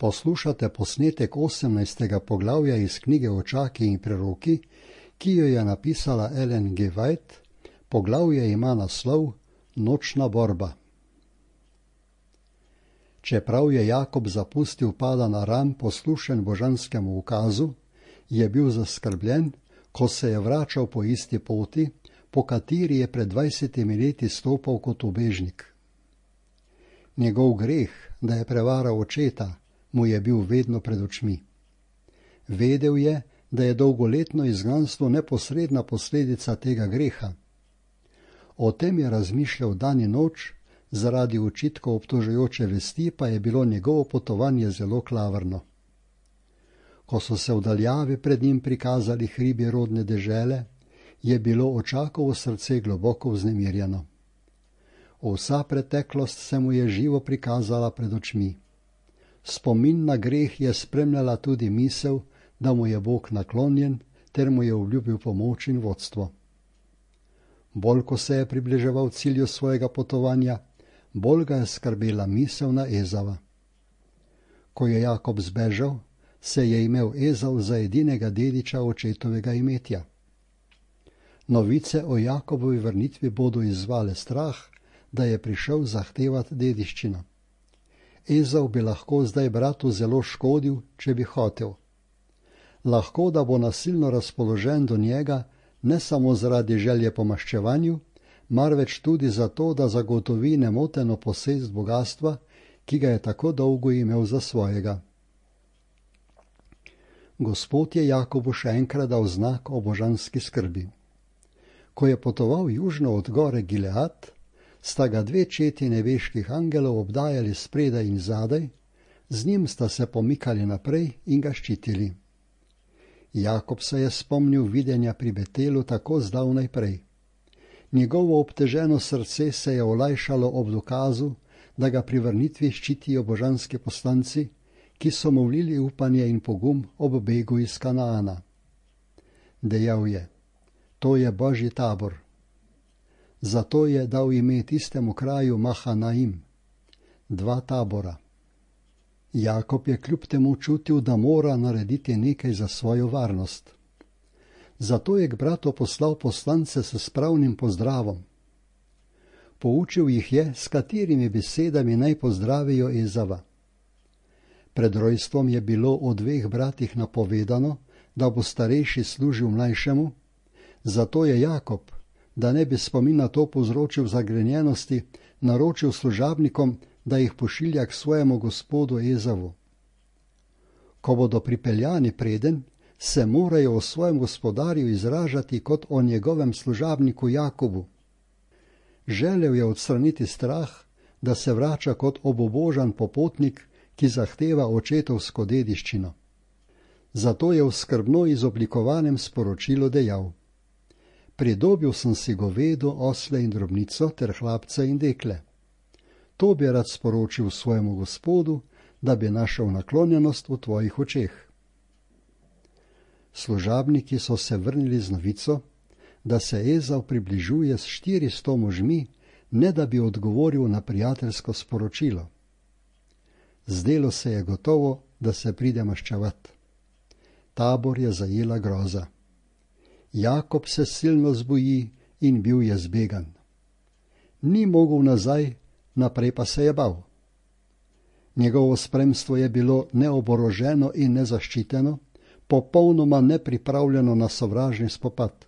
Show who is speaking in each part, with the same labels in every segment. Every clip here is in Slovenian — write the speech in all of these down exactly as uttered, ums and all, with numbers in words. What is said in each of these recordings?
Speaker 1: Poslušate posnetek osemnajstega poglavja iz knjige Očaki in preroki, ki jo je napisala Ellen G. White. Poglavje ima naslov Nočna borba. Čeprav je Jakob zapustil Padan Aram poslušen božanskemu ukazu, je bil zaskrbljen, ko se je vračal po isti poti, po kateri je pred dvajsetimi leti stopal kot ubežnik. Njegov greh, da je prevaral očeta, mu je bil vedno pred očmi. Vedel je, da je dolgoletno izgnanstvo neposredna posledica tega greha. O tem je razmišljal dan in noč, zaradi očitkov obtožujoče vesti pa je bilo njegovo potovanje zelo klavrno. Ko so se v daljavi pred njim prikazali hribi rodne dežele, je bilo Očakovo srce globoko vznemirjeno. Vsa preteklost se mu je živo prikazala pred očmi. Spomin na greh je spremljala tudi misel, da mu je Bog naklonjen, ter mu je obljubil pomoč in vodstvo. Bolj ko se je približeval cilju svojega potovanja, bolj ga je skrbela misel na Ezava. Ko je Jakob zbežal, se je imel Ezav za edinega dediča očetovega imetja. Novice o Jakobovi vrnitvi bodo izzvale strah, da je prišel zahtevati dediščino. Ezav bi lahko zdaj bratu zelo škodil, če bi hotel. Lahko, da bo nasilno razpoložen do njega, ne samo zaradi želje po maščevanju, marveč tudi zato, da zagotovi nemoteno posest bogastva, ki ga je tako dolgo imel za svojega. Gospod je Jakobu še enkrat dal znak o božanski skrbi. Ko je potoval južno od gore Gilead, sta ga dve četi nebeških angelov obdajali spredaj in zadaj, z njim sta se pomikali naprej in ga ščitili. Jakob se je spomnil videnja pri Betelu tako zdavnaj prej. Njegovo obteženo srce se je olajšalo ob dokazu, da ga pri vrnitvi ščitijo božanski poslanci, ki so mu vlili upanje in pogum ob begu iz Kanaana. Dejal je, to je Božji tabor. Zato je dal ime tistemu kraju Mahanaim, dva tabora. Jakob je kljub temu čutil, da mora narediti nekaj za svojo varnost. Zato je k bratu poslal poslance s spravnim pozdravom. Poučil jih je, s katerimi besedami naj pozdravijo Ezava. Pred rojstvom je bilo o dveh bratih napovedano, da bo starejši služil mlajšemu, zato je Jakob, da ne bi spomin na to povzročil zagrenjenosti, naročil služabnikom, da jih pošilja k svojemu gospodu Ezavu. Ko bodo pripeljani preden, se morajo o svojem gospodarju izražati kot o njegovem služabniku Jakobu. Želel je odstraniti strah, da se vrača kot obubožan popotnik, ki zahteva očetovsko dediščino. Zato je v skrbno izoblikovanem sporočilu dejal: Pridobil sem si govedo, osle in drobnico ter hlapce in dekle. To bi rad sporočil svojemu gospodu, da bi našel naklonjenost v tvojih očeh. Služabniki so se vrnili z novico, da se Ezav približuje s štiristo možmi, ne da bi odgovoril na prijateljsko sporočilo. Zdelo se je gotovo, da se pride maščevat. Tabor je zajela groza. Jakob se silno zboji in bil je zbegan. Ni mogel nazaj, naprej pa se je bal. Njegovo spremstvo je bilo neoboroženo in nezaščiteno, popolnoma nepripravljeno na sovražni spopad.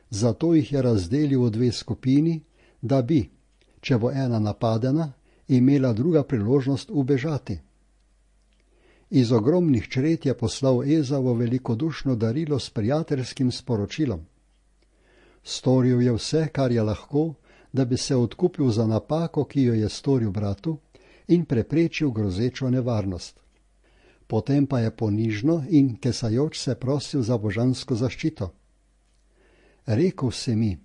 Speaker 1: Zato jih je razdelil v dve skupini, da bi, če bo ena napadena, imela druga priložnost ubežati. Iz ogromnih čred je poslal Ezavo velikodušno darilo s prijateljskim sporočilom. Storil je vse, kar je lahko, da bi se odkupil za napako, ki jo je storil bratu, in preprečil grozečo nevarnost. Potem pa je ponižno in kesajoč se prosil za božansko zaščito. Rekel si mi,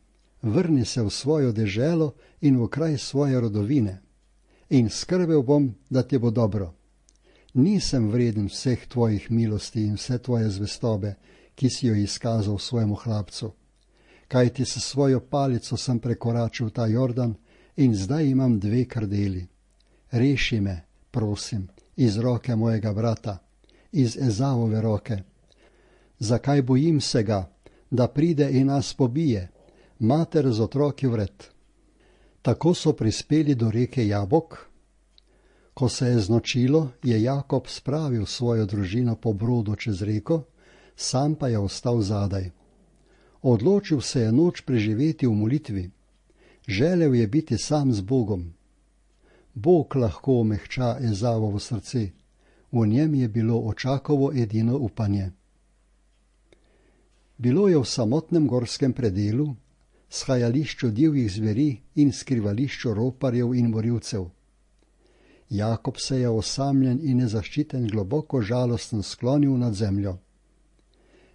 Speaker 1: vrni se v svojo deželo in v kraj svoje rodovine, in skrbel bom, da ti bo dobro. Nisem vreden vseh tvojih milosti in vse tvoje zvestobe, ki si jo izkazal svojemu hlapcu. Kajti s svojo palico sem prekoračil ta Jordan in zdaj imam dve krdeli. Reši me, prosim, iz roke mojega brata, iz Ezavove roke. Zakaj bojim se ga, da pride in nas pobije, mater z otroki vred. Tako so prispeli do reke Jabok. Ko se je znočilo, je Jakob spravil svojo družino po brodu čez reko, sam pa je ostal zadaj. Odločil se je noč preživeti v molitvi. Želel je biti sam z Bogom. Bog lahko omehča Ezavovo srce, v njem je bilo očakovo edino upanje. Bilo je v samotnem gorskem predelu, shajališču divjih zveri in skrivališču roparjev in morilcev. Jakob se je osamljen in nezaščiten globoko žalosten sklonil nad zemljo.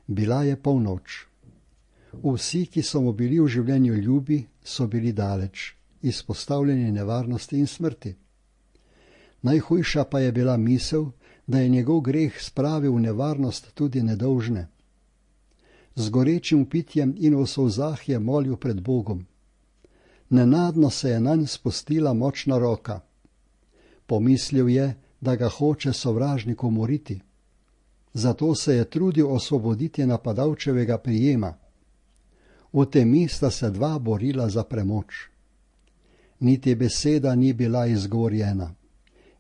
Speaker 1: Bila je polnoč. Vsi, ki so mu bili v življenju ljubi, so bili daleč, izpostavljeni nevarnosti in smrti. Najhujša pa je bila misel, da je njegov greh spravil v nevarnost tudi nedolžne. Z gorečim pitjem in v solzah je molil pred Bogom. Nenadno se je nanj spustila močna roka. Pomislil je, da ga hoče sovražnik umoriti. Zato se je trudil osvoboditi napadalčevega prijema. V temi sta se dva borila za premoč. Niti beseda ni bila izgovorjena.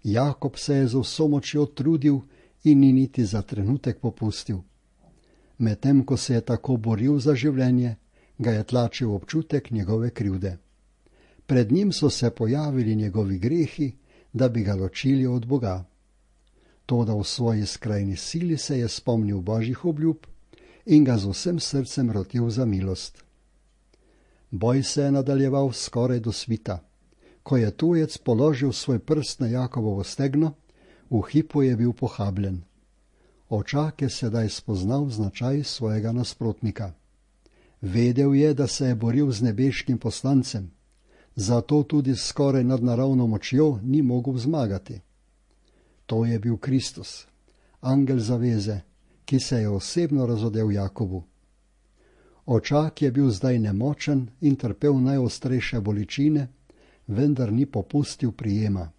Speaker 1: Jakob se je z vso močjo trudil in ni niti za trenutek popustil. Medtem ko se je tako boril za življenje, ga je tlačil občutek njegove krivde. Pred njim so se pojavili njegovi grehi, da bi ga ločili od Boga. Toda v svoji skrajni sili se je spomnil Božjih obljub in ga z vsem srcem rotil za milost. Boj se je nadaljeval skoraj do svita. Ko je tujec položil svoj prst na Jakobovo stegno, v hipu je bil pohabljen. Očak je sedaj spoznal značaj svojega nasprotnika. Vedel je, da se je boril z nebeškim poslancem, zato tudi skoraj nadnaravno močjo ni mogel zmagati. To je bil Kristus, angel zaveze, ki se je osebno razodel Jakobu. Očak je bil zdaj nemočen in trpel najostrejše bolečine, vendar ni popustil prijema.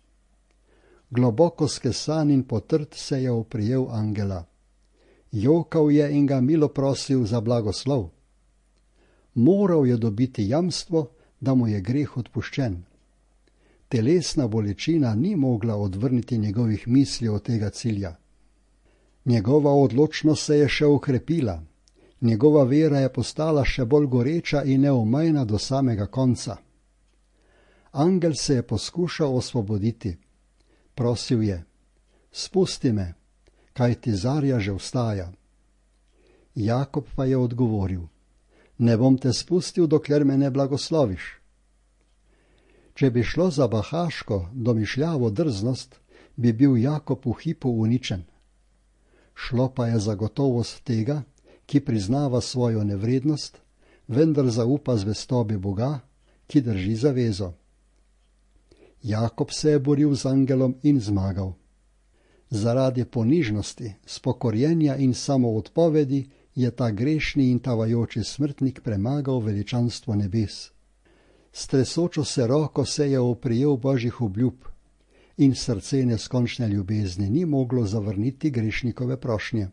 Speaker 1: Globoko skesan in potrt se je oprijel angela. Jokal je in ga milo prosil za blagoslov. Moral je dobiti jamstvo, da mu je greh odpuščen. Telesna bolečina ni mogla odvrniti njegovih misli od tega cilja. Njegova odločnost se je še okrepila. Njegova vera je postala še bolj goreča in neomajna do samega konca. Angel se je poskušal osvoboditi. Prosil je: spusti me, kajti zarja že vstaja. Jakob pa je odgovoril: ne bom te spustil, dokler me ne blagosloviš. Če bi šlo za bahaško, domišljavo drznost, bi bil Jakob v hipu uničen. Šlo pa je za gotovost tega, ki priznava svojo nevrednost, vendar zaupa zvestobi Boga, ki drži zavezo. Jakob se je boril z angelom in zmagal. Zaradi ponižnosti, spokorjenja in samoodpovedi je ta grešni in tavajoči smrtnik premagal veličanstvo nebes. S tresočo se roko se je oprijel Božjih obljub in srce neskončne ljubezni ni moglo zavrniti grešnikove prošnje.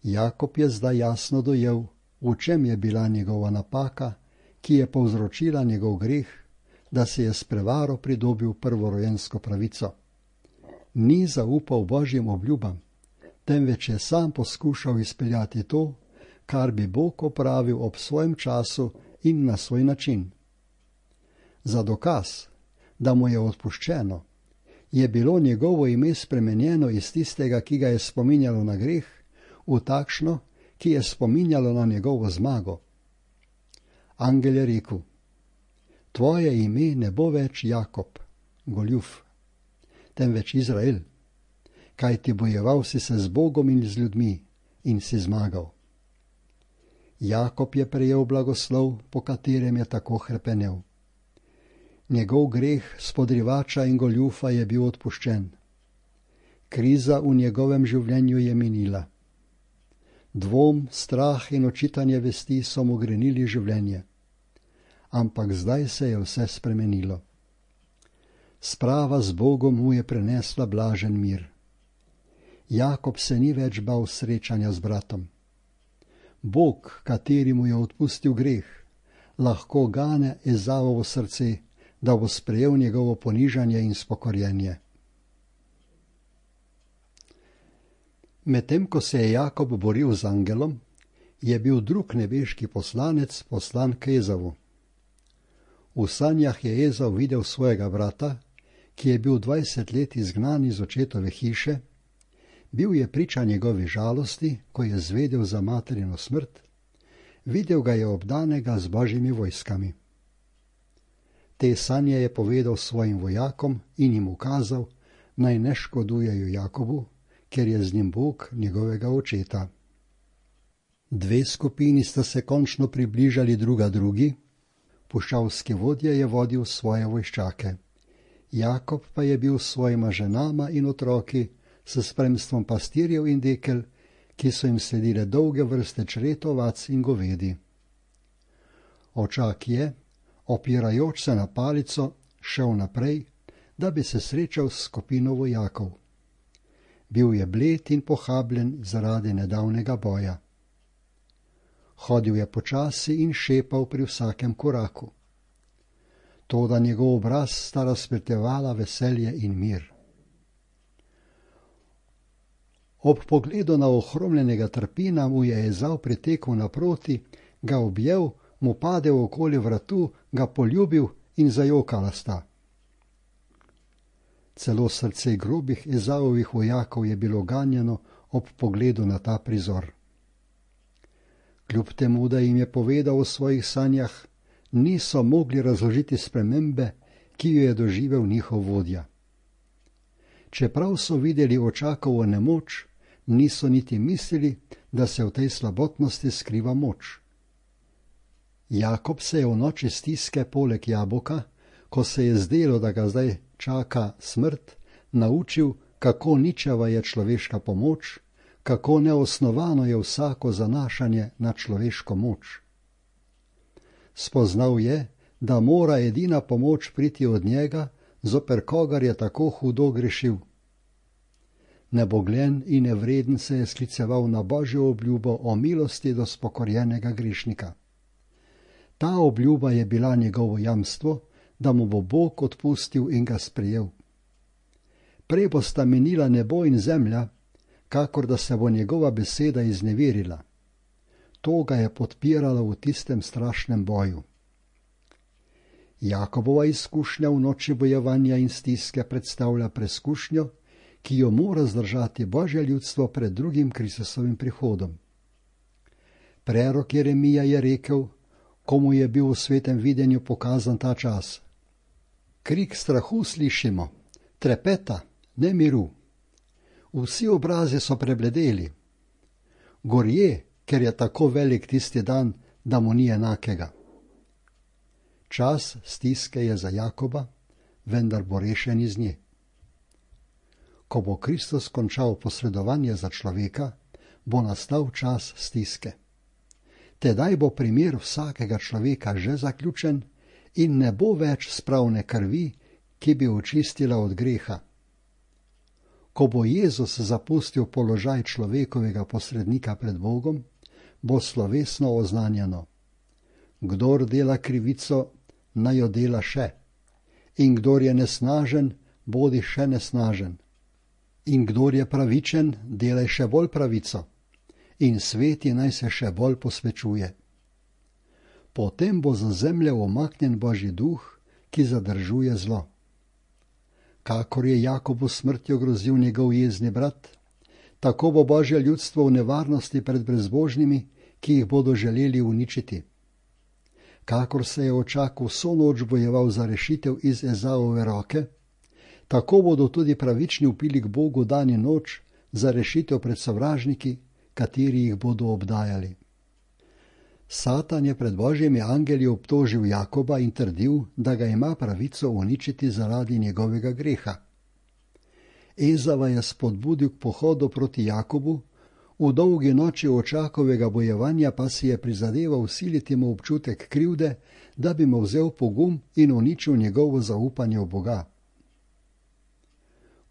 Speaker 1: Jakob je zdaj jasno dojel, v čem je bila njegova napaka, ki je povzročila njegov greh, da se je s prevaro pridobil prvorojensko pravico. Ni zaupal Božjim obljubam, temveč je sam poskušal izpeljati to, kar bi Bog opravil ob svojem času in na svoj način. Za dokaz, da mu je odpuščeno, je bilo njegovo ime spremenjeno iz tistega, ki ga je spominjalo na greh, v takšno, ki je spominjalo na njegovo zmago. Angel je rekel: tvoje ime ne bo več Jakob, goljuf, temveč Izrael, kajti bojeval si se z Bogom in z ljudmi in si zmagal. Jakob je prejel blagoslov, po katerem je tako hrepenel. Njegov greh spodrivača in goljufa je bil odpuščen. Kriza v njegovem življenju je minila. Dvom, strah in očitanje vesti so mu grenili življenje. Ampak zdaj se je vse spremenilo. Sprava z Bogom mu je prenesla blažen mir. Jakob se ni več bal srečanja z bratom. Bog, kateri mu je odpustil greh, lahko gane Ezavovo srce, da bo sprejel njegovo ponižanje in spokorjenje. Medtem ko se je Jakob boril z angelom, je bil drug nebeški poslanec poslan k Ezavu. V sanjah je Ezav videl svojega brata, ki je bil dvajset let izgnan iz očetove hiše, bil je priča njegovi žalosti, ko je zvedel za materino smrt, videl ga je obdanega z božjimi vojskami. Te sanje je povedal svojim vojakom in jim ukazal, naj ne škodujejo Jakobu, ker je z njim Bog njegovega očeta. Dve skupini sta se končno približali druga drugi, puščavski vodja je vodil svoje vojščake. Jakob pa je bil s svojima ženama in otroki, s spremstvom pastirjev in dekel, ki so jim sledile dolge vrste čred ovac in govedi. Očak je, opirajoč se na palico, šel naprej, da bi se srečal s skupino vojakov. Bil je bled in pohabljen zaradi nedavnega boja. Hodil je počasi in šepal pri vsakem koraku. Toda njegov obraz sta razpetevala veselje in mir. Ob pogledu na ohromljenega trpina mu je Ezav pritekel naproti, ga objel, mu padel okoli vratu, ga poljubil in zajokala sta. Celo srce grobih Ezavovih vojakov je bilo ganjeno ob pogledu na ta prizor. Kljub temu, da jim je povedal o svojih sanjah, niso mogli razložiti spremembe, ki jo je doživel njihov vodja. Čeprav so videli očakovo nemoč, niso niti mislili, da se v tej slabotnosti skriva moč. Jakob se je v noči stiske poleg jabolka, ko se je zdelo, da ga zdaj čaka smrt, naučil, kako ničeva je človeška pomoč, kako neosnovano je vsako zanašanje na človeško moč. Spoznal je, da mora edina pomoč priti od njega, zoper kogar je tako hudo grešil. Nebogljen in nevreden se je skliceval na Božjo obljubo o milosti do spokorjenega grešnika. Ta obljuba je bila njegovo jamstvo, da mu bo Bog odpustil in ga sprejel. Prej bosta minila nebo in zemlja, kakor da se bo njegova beseda izneverila. To ga je podpiralo v tistem strašnem boju. Jakobova izkušnja v noči bojevanja in stiske predstavlja preskušnjo, ki jo mora zdržati Božje ljudstvo pred drugim Kristusovim prihodom. Prerok Jeremija je rekel, komu je bil v svetem videnju pokazan ta čas: Krik strahu slišimo, trepeta, ne miru. Vsi obrazi so prebledeli. Gorje, ker je tako velik tisti dan, da mu ni enakega. Čas stiske je za Jakoba, vendar bo rešen iz nje. Ko bo Kristus končal posredovanje za človeka, bo nastal čas stiske. Tedaj bo primer vsakega človeka že zaključen in ne bo več spravne krvi, ki bi očistila od greha. Ko bo Jezus zapustil položaj človekovega posrednika pred Bogom, bo slovesno oznanjeno: Kdor dela krivico, naj jo dela še, in kdor je nesnažen, bodi še nesnažen. In kdor je pravičen, delaj še bolj pravico, in sveti naj se še bolj posvečuje. Potem bo za zemljo umaknjen Božji duh, ki zadržuje zlo. Kakor je Jakobu smrtjo grozil njegov jezni brat, tako bo Božje ljudstvo v nevarnosti pred brezbožnimi, ki jih bodo želeli uničiti. Kakor se je očak vso noč bojeval za rešitev iz Ezavove roke, tako bodo tudi pravični vpili k Bogu dan in noč za rešitev pred sovražniki, kateri jih bodo obdajali. Satan je pred Božjimi angeli obtožil Jakoba in trdil, da ga ima pravico uničiti zaradi njegovega greha. Ezava je spodbudil k pohodu proti Jakobu, v dolgi noči očakovega bojevanja pa si je prizadeval vsiliti mu občutek krivde, da bi mu vzel pogum in uničil njegovo zaupanje v Boga.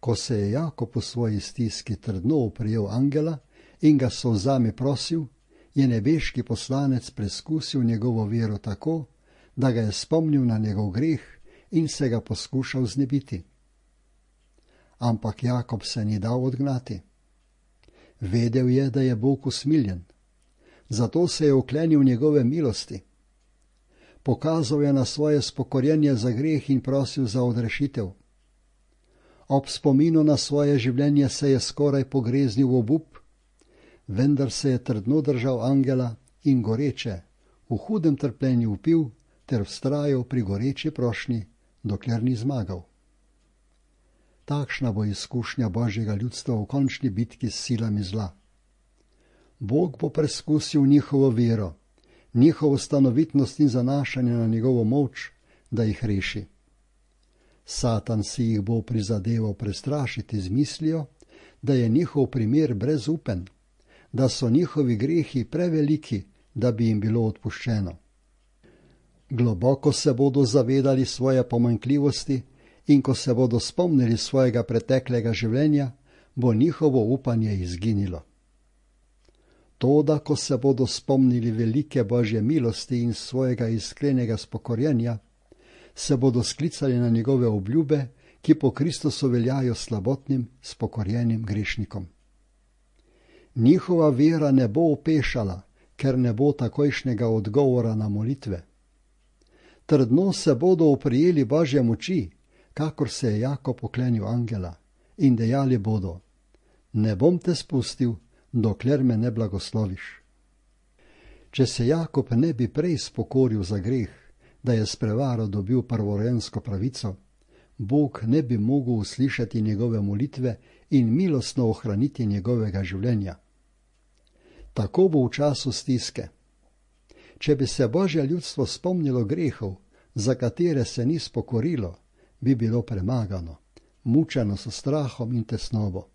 Speaker 1: Ko se je Jakob v svoji stiski trdno oprijel angela in ga s solzami prosil, je nebeški poslanec preskusil njegovo vero tako, da ga je spomnil na njegov greh in se ga poskušal znebiti. Ampak Jakob se ni dal odgnati. Vedel je, da je Bog usmiljen, zato se je oklenil njegove milosti. Pokazal je na svoje spokorjenje za greh in prosil za odrešitev. Ob spominu na svoje življenje se je skoraj pogreznil v obup, vendar se je trdno držal angela in goreče, v hudem trpljenju vpil ter vztrajal pri goreči prošnji, dokler ni zmagal. Takšna bo izkušnja Božjega ljudstva v končni bitki s silami zla. Bog bo preskusil njihovo vero, njihovo stanovitnost in zanašanje na njegovo moč, da jih reši. Satan si jih bo prizadeval prestrašiti z mislijo, da je njihov primer brezupen, da so njihovi grehi preveliki, da bi jim bilo odpuščeno. Globoko se bodo zavedali svoje pomanjkljivosti in ko se bodo spomnili svojega preteklega življenja, bo njihovo upanje izginilo. Toda, ko se bodo spomnili velike Božje milosti in svojega iskrenega spokorjenja, se bodo sklicali na njegove obljube, ki po Kristusu veljajo slabotnim, spokorjenim grešnikom. Njihova vera ne bo opešala, ker ne bo takojšnjega odgovora na molitve. Trdno se bodo oprijeli Božje moči, kakor se je Jakob oklenil angela, in dejali bodo: ne bom te spustil, dokler me ne blagosloviš. Če se Jakob ne bi prej spokoril za greh, da je s prevaro dobil prvorojensko pravico, Bog ne bi mogel uslišati njegove molitve in milostno ohraniti njegovega življenja. Tako bo v času stiske. Če bi se Božje ljudstvo spomnilo grehov, za katere se ni spokorilo, bi bilo premagano, mučeno s strahom in tesnobo.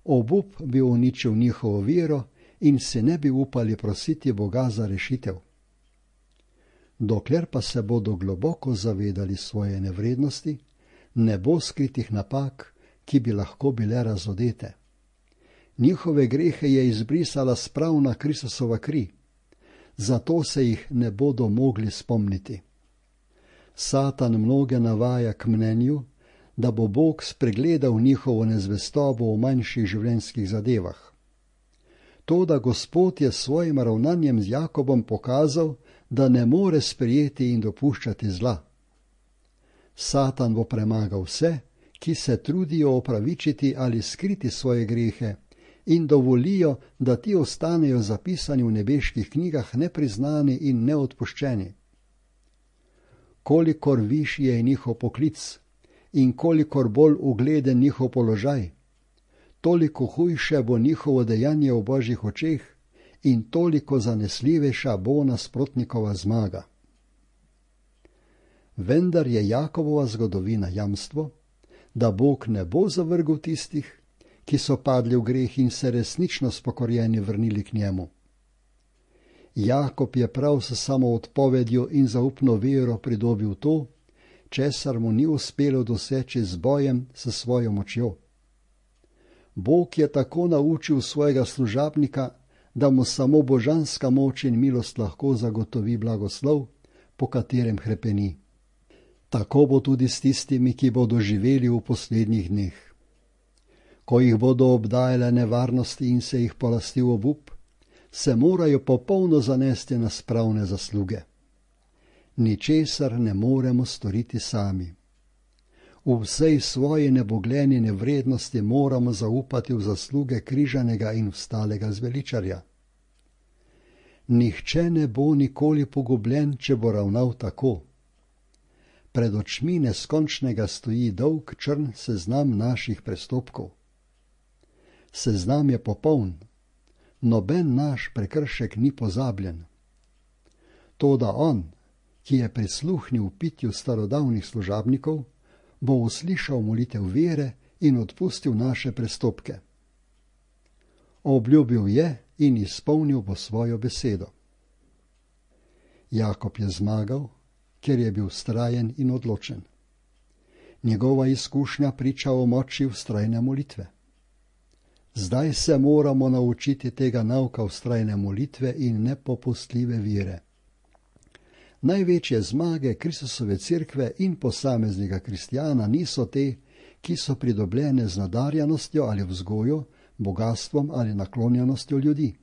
Speaker 1: Obup bi uničil njihovo vero in se ne bi upali prositi Boga za rešitev. Dokler pa se bodo globoko zavedali svoje nevrednosti, ne bo skritih napak, ki bi lahko bile razodete. Njihove grehe je izbrisala spravna Kristusova kri, zato se jih ne bodo mogli spomniti. Satan mnoge navaja k mnenju, da bo Bog spregledal njihovo nezvestobo v manjših življenjskih zadevah. Toda Gospod je s svojim ravnanjem z Jakobom pokazal, da ne more sprejeti in dopuščati zla. Satan bo premagal vse, ki se trudijo opravičiti ali skriti svoje grehe in dovolijo, da ti ostanejo zapisani v nebeških knjigah nepriznani in neodpuščeni. Kolikor višji je njihov poklic in kolikor bolj ugleden njihov položaj, toliko hujše bo njihovo dejanje v Božjih očeh in toliko zanesljivejša bo nasprotnikova zmaga. Vendar je Jakobova zgodovina jamstvo, da Bog ne bo zavrgel tistih, ki so padli v greh in se resnično spokorjeni vrnili k njemu. Jakob je prav s samoodpovedjo in zaupno vero pridobil to, česar mu ni uspelo doseči z bojem s svojo močjo. Bog je tako naučil svojega služabnika, da mu samo božanska moč in milost lahko zagotovi blagoslov, po katerem hrepeni. Tako bo tudi s tistimi, ki bodo živeli v poslednjih dneh. Ko jih bodo obdajale nevarnosti in se jih polastil obup, se morajo popolno zanesti na spravne zasluge. Ničesar ne moremo storiti sami. V vsej svoji nebogljeni nevrednosti moramo zaupati v zasluge križanega in vstalega zveličarja. Nihče ne bo nikoli pogubljen, če bo ravnal tako. Pred očmi neskončnega stoji dolg črn seznam naših prestopkov. Seznam je popoln, noben naš prekršek ni pozabljen. Toda on, ki je prisluhnil pitju starodavnih služabnikov, bo uslišal molitev vere in odpustil naše prestopke. Obljubil je in izpolnil bo svojo besedo. Jakob je zmagal, ker je bil vztrajen in odločen. Njegova izkušnja priča o moči vztrajne molitve. Zdaj se moramo naučiti tega nauka vztrajne molitve in nepopustljive vire. Največje zmage Kristusove cerkve in posameznika kristjana niso te, ki so pridobljene z nadarjenostjo ali vzgojo, bogatstvom ali naklonjenostjo ljudi.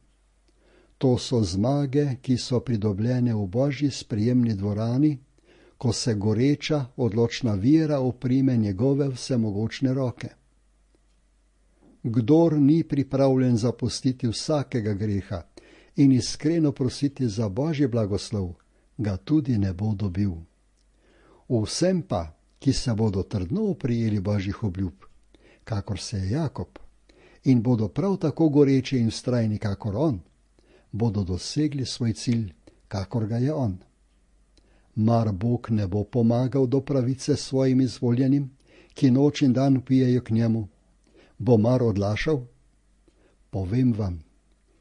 Speaker 1: To so zmage, ki so pridobljene v Božji sprejemni dvorani, ko se goreča, odločna vera oprime njegove vsemogočne roke. Kdor ni pripravljen zapustiti vsakega greha in iskreno prositi za Božji blagoslov, ga tudi ne bo dobil. Vsem pa, ki se bodo trdno oprijeli Božjih obljub, kakor se je Jakob, in bodo prav tako goreči in vztrajni, kakor on, bodo dosegli svoj cilj, kakor ga je on. Mar Bog ne bo pomagal do pravice svojim izvoljenim, ki noč in dan pijejo k njemu? Bo mar odlašal? Povem vam,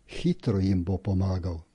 Speaker 1: hitro jim bo pomagal.